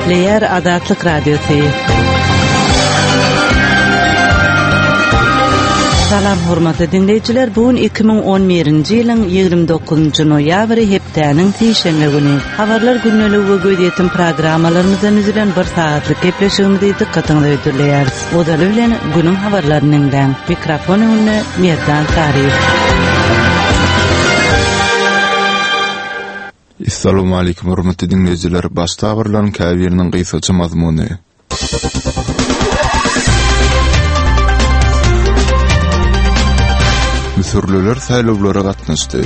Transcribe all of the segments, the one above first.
Gepleýär Azatlyk Radiosy. Salam hormatly diňleýjiler, bu gün 2011-nji ýylyň 29-njy noýabry hepdäniň sişenbe güni. Habarlar gündeligi we gözýetim programmalarymyzdan düzülen bir sagatlyk gepleşigimizi dykgatyňyza hödürleýäris. Ozaly bilen günüň habarlaryny diňläň. Mikrofon öňünde Merdan Saryýew. Essalawmaleýkim hormatly diňleýjiler! Başda habarlaryň käbiriniň gysgaça mazmuny. Müsürliler saýlawlara gatnaşdy.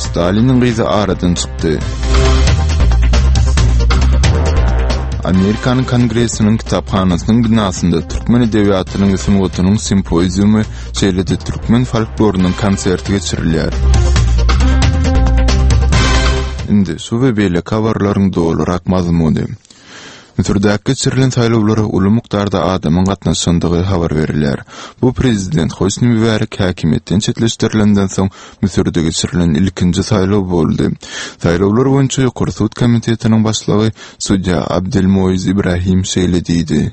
Staliniň gyzy aradan çykdy. Amerikanyň Kongresiniň kitaphanasynyň binasynda türkmen edebiýatynyň we sungatynyň simpoziumy, şeýle-de türkmen folklorynyň konserti geçirilýär. Indi şu we beýleki habarlaryň dolurak mazmuny. Müsürdäki geçirilen saýlawlara uly mukdarda adamyň gatnaşandygy habar berilýär. Bu prezident Hosni Mübärek häkimiýetden çetleşdirilenden soň Müsürde geçirilen ilkinji saýlaw boldy. Saýlawlar boýunça Ýokary sud komitetiniň başlygy sudýa Abdelmoiz Ibrahim şeýle diýdi.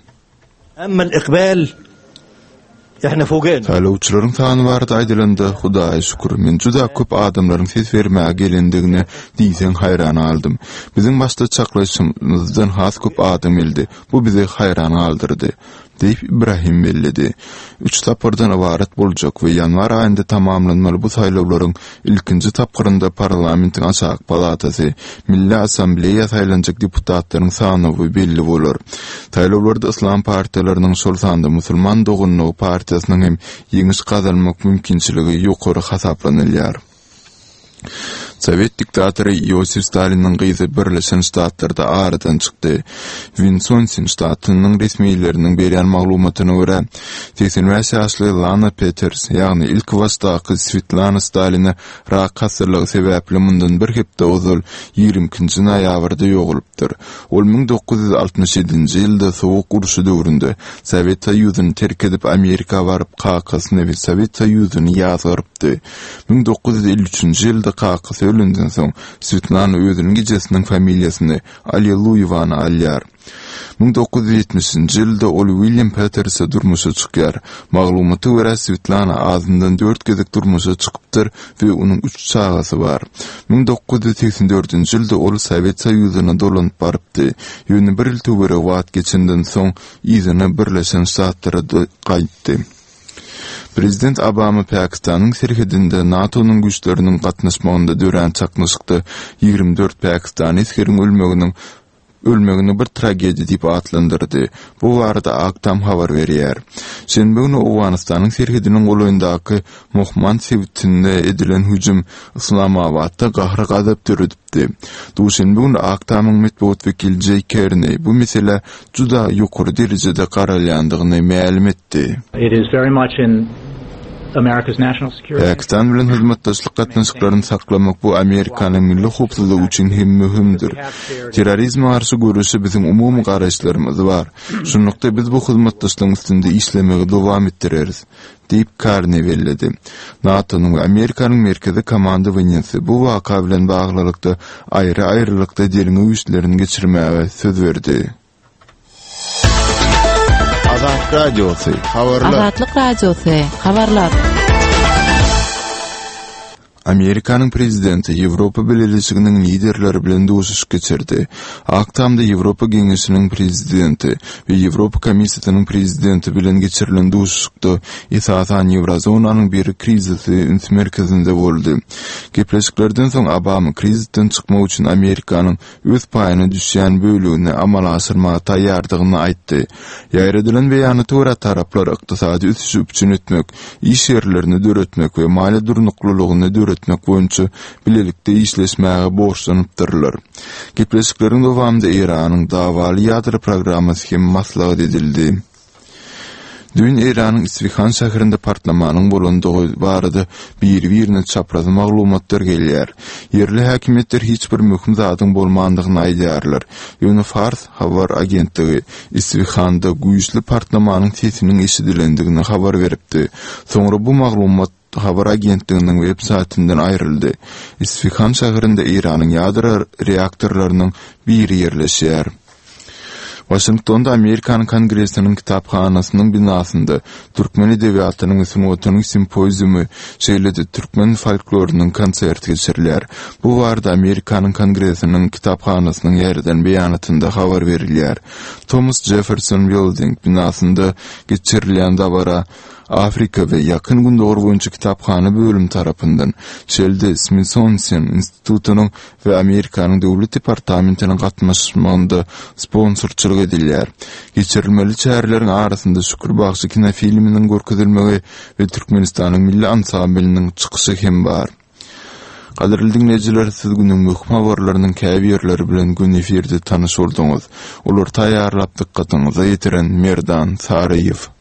Saýlawçylaryň sany barada aýdylanda, Hudaýa şükür, men juda köp adamlaryň ses bermäge gelendigine diýseň haýran galdym. Biziň başda çaklaýşymyzdan has köp adam geldi. Bu bizi haýran galdyrdy. Diýip, Ibrahim belledi. Üç tapgyrdan ybarat boljak we ýanwar aýynda tamamlanmaly bu saýlawlaryň ilkinji tapgyrynda parlamentiň aşaky palatasy, Milli Assambleýa saýlanjak deputatlaryň sanawy belli bolar. Saýlawlarda yslam partiýalarynyň, şol sanda Musulman doganlygy partiýasynyň hem ýeňiş gazanmak mümkinçiligi ýokary hasaplanylýar. Sowet diktatory Iosif Staliniň gyzy Birleşen Ştatlarda aradan çykdy. Winsonsin ştatynyň resmileriniň berýän maglumatyna görä, 85 ýaşly Lana Peters, ýagny ilkibaşdaky Swetlana Stalina rak hassalygy sebäpli mundan bir hepde ozal, 22-nji noýabrda ýogalypdyr. Ol 1967-nji ýylda Sowuk urşy döwründe Sowet Soýuzyny terk edip Amerika baryp kakasyny we Sowet Soýuzyny ýazgarypdy. 1953-nji ýylda kakasy ölenden soň, Swetlana özüniň ejesiniň familiýasyny, Alliluýewany alýar. 1970-nji ýylda ol William Peterse durmuşa çykýar. Maglumata görä, Swetlana azyndan dört gezek durmuşa çykypdyr we onuň üç çagasy bar. 1984-nji ýylda ol Sowet Soýuzyna dolanyp barypdy, ýöne bir ýyl töweregi wagt geçenden soň yzyna Birleşen Ştatlara gaýtdy. Prezident Obama Pakistanyň serhedinde NATO-nyň güýçleriniň gatnaşmagynda dörän çaknyşykda 24 pakistany esgeriň ölmeginiň ölmegini bir tragediýa diýip atlandyrdy. Bu barada Ak Tam habar berýär. Şenbe güni Owganystanyň serhediniň golaýyndaky Mohmand sebitinde edilen hüjüm Yslamabatda gahar-gazap döredipdi. Duşenbe güni Ak Tamyň metbugat wekili Jeý Kerni bu meselä juda ýokary derejede garalýandygyny mälim etdi. Pakistan bilen hyzmatdaşlyk gatnaşyklaryny saklamak bu Amerikanyň milli howpsuzlygy üçin hem möhümdir. Terrorizme garşy göreşe biziň umumy garaýyşlarymyz bar. Şunlukda biz bu hyzmatdaşlygyň üstünde işlemegi dowam etdireris. Diýip, Karni belledi. NATO-nyň we Amerikanyň Merkezi komandowaniýesi bu waka bilen baglylykda aýry-aýrylykda derňew işlerini geçirmäge söz berdi. Azatlyk Radiosy, Habarlar. Azatlyk Radiosy, Habarlar. Amerikanyň prezidenti Ýewropa Bileleşiginiň liderleri bilen duşuşyk geçirdi. Ak Tamda Ýewropa Geňeşiniň prezidenti we Ýewropa Komissiýasynyň prezidenti bilen geçirilen duşuşykda esasan ýewrozonanyň bir krizisi üns merkezinde boldy. Gepleşiklerden soň Obama krizisden çykmak üçin Amerikanyň öz paýyna düşýän bölegini amala aşyrmaga taýýardygyny aýtdy. Ýaýradylan beýanata görä, taraplar ykdysady ösüşi üpjün etmek, iş ýerlerini döretmek we maliýe durnuklylygyny döretmek boýunça bilelikde işleşmäge borçlanypdyrlar. Gepleşikleriň dowamynda Eýranyň dawaly ýadro programmasy hem maslahat edildi. Düýn Eýranyň Isfihan şäherinde partlamanyň bolandygy barada biri-birine çapraz maglumatlar gelýär. Ýerli häkimiýetler hiç bir möhüm zadyň bolmandygyny aýdýarlar. Ýöne Fars habar agentligi Isfihanda güýçli partlamanyň sesiniň eşidilendigini habar beripdi. Soňra bu maglumat. habar agentliginiň web saýtyndan aýryldy. Isfihan şäherinde Eýranyň ýadro reaktorlarynyň biri ýerleşýär. Waşingtonda Amerikanyň Kongresiniň kitaphanasynyň binasynda türkmen edebiýatynyň we sungatynyň simpoziumy, şeýle-de türkmen folklorynyň konserti geçirilýär. Bu barada Amerikanyň Kongresiniň kitaphanasynyň ýaýradan beýanatynda habar berilýär. Thomas Jefferson Building binasynda geçirilýän dabara Afrika we Ýakyn Gündogar boýunça kitaphana bölümi tarapyndan, şeýle-de Smithsonian institutynyň we Amerikanyň Döwlet departamentiniň gatnaşmagynda sponsorçylyk edilýär. Geçirilmeli çäreleriň arasynda Şükür bagşy kinofilminiň görkezilmegi we Türkmenistanyň milli ansamblynyň çykyşy hem bar. Gadyrly diňleýjiler, siz günüň möhüm habarlarynyň käbirleri bilen göni efirde tanyş bolduňyz. Olary taýýarlap dykgatyňyza ýetiren Merdan Saryýew.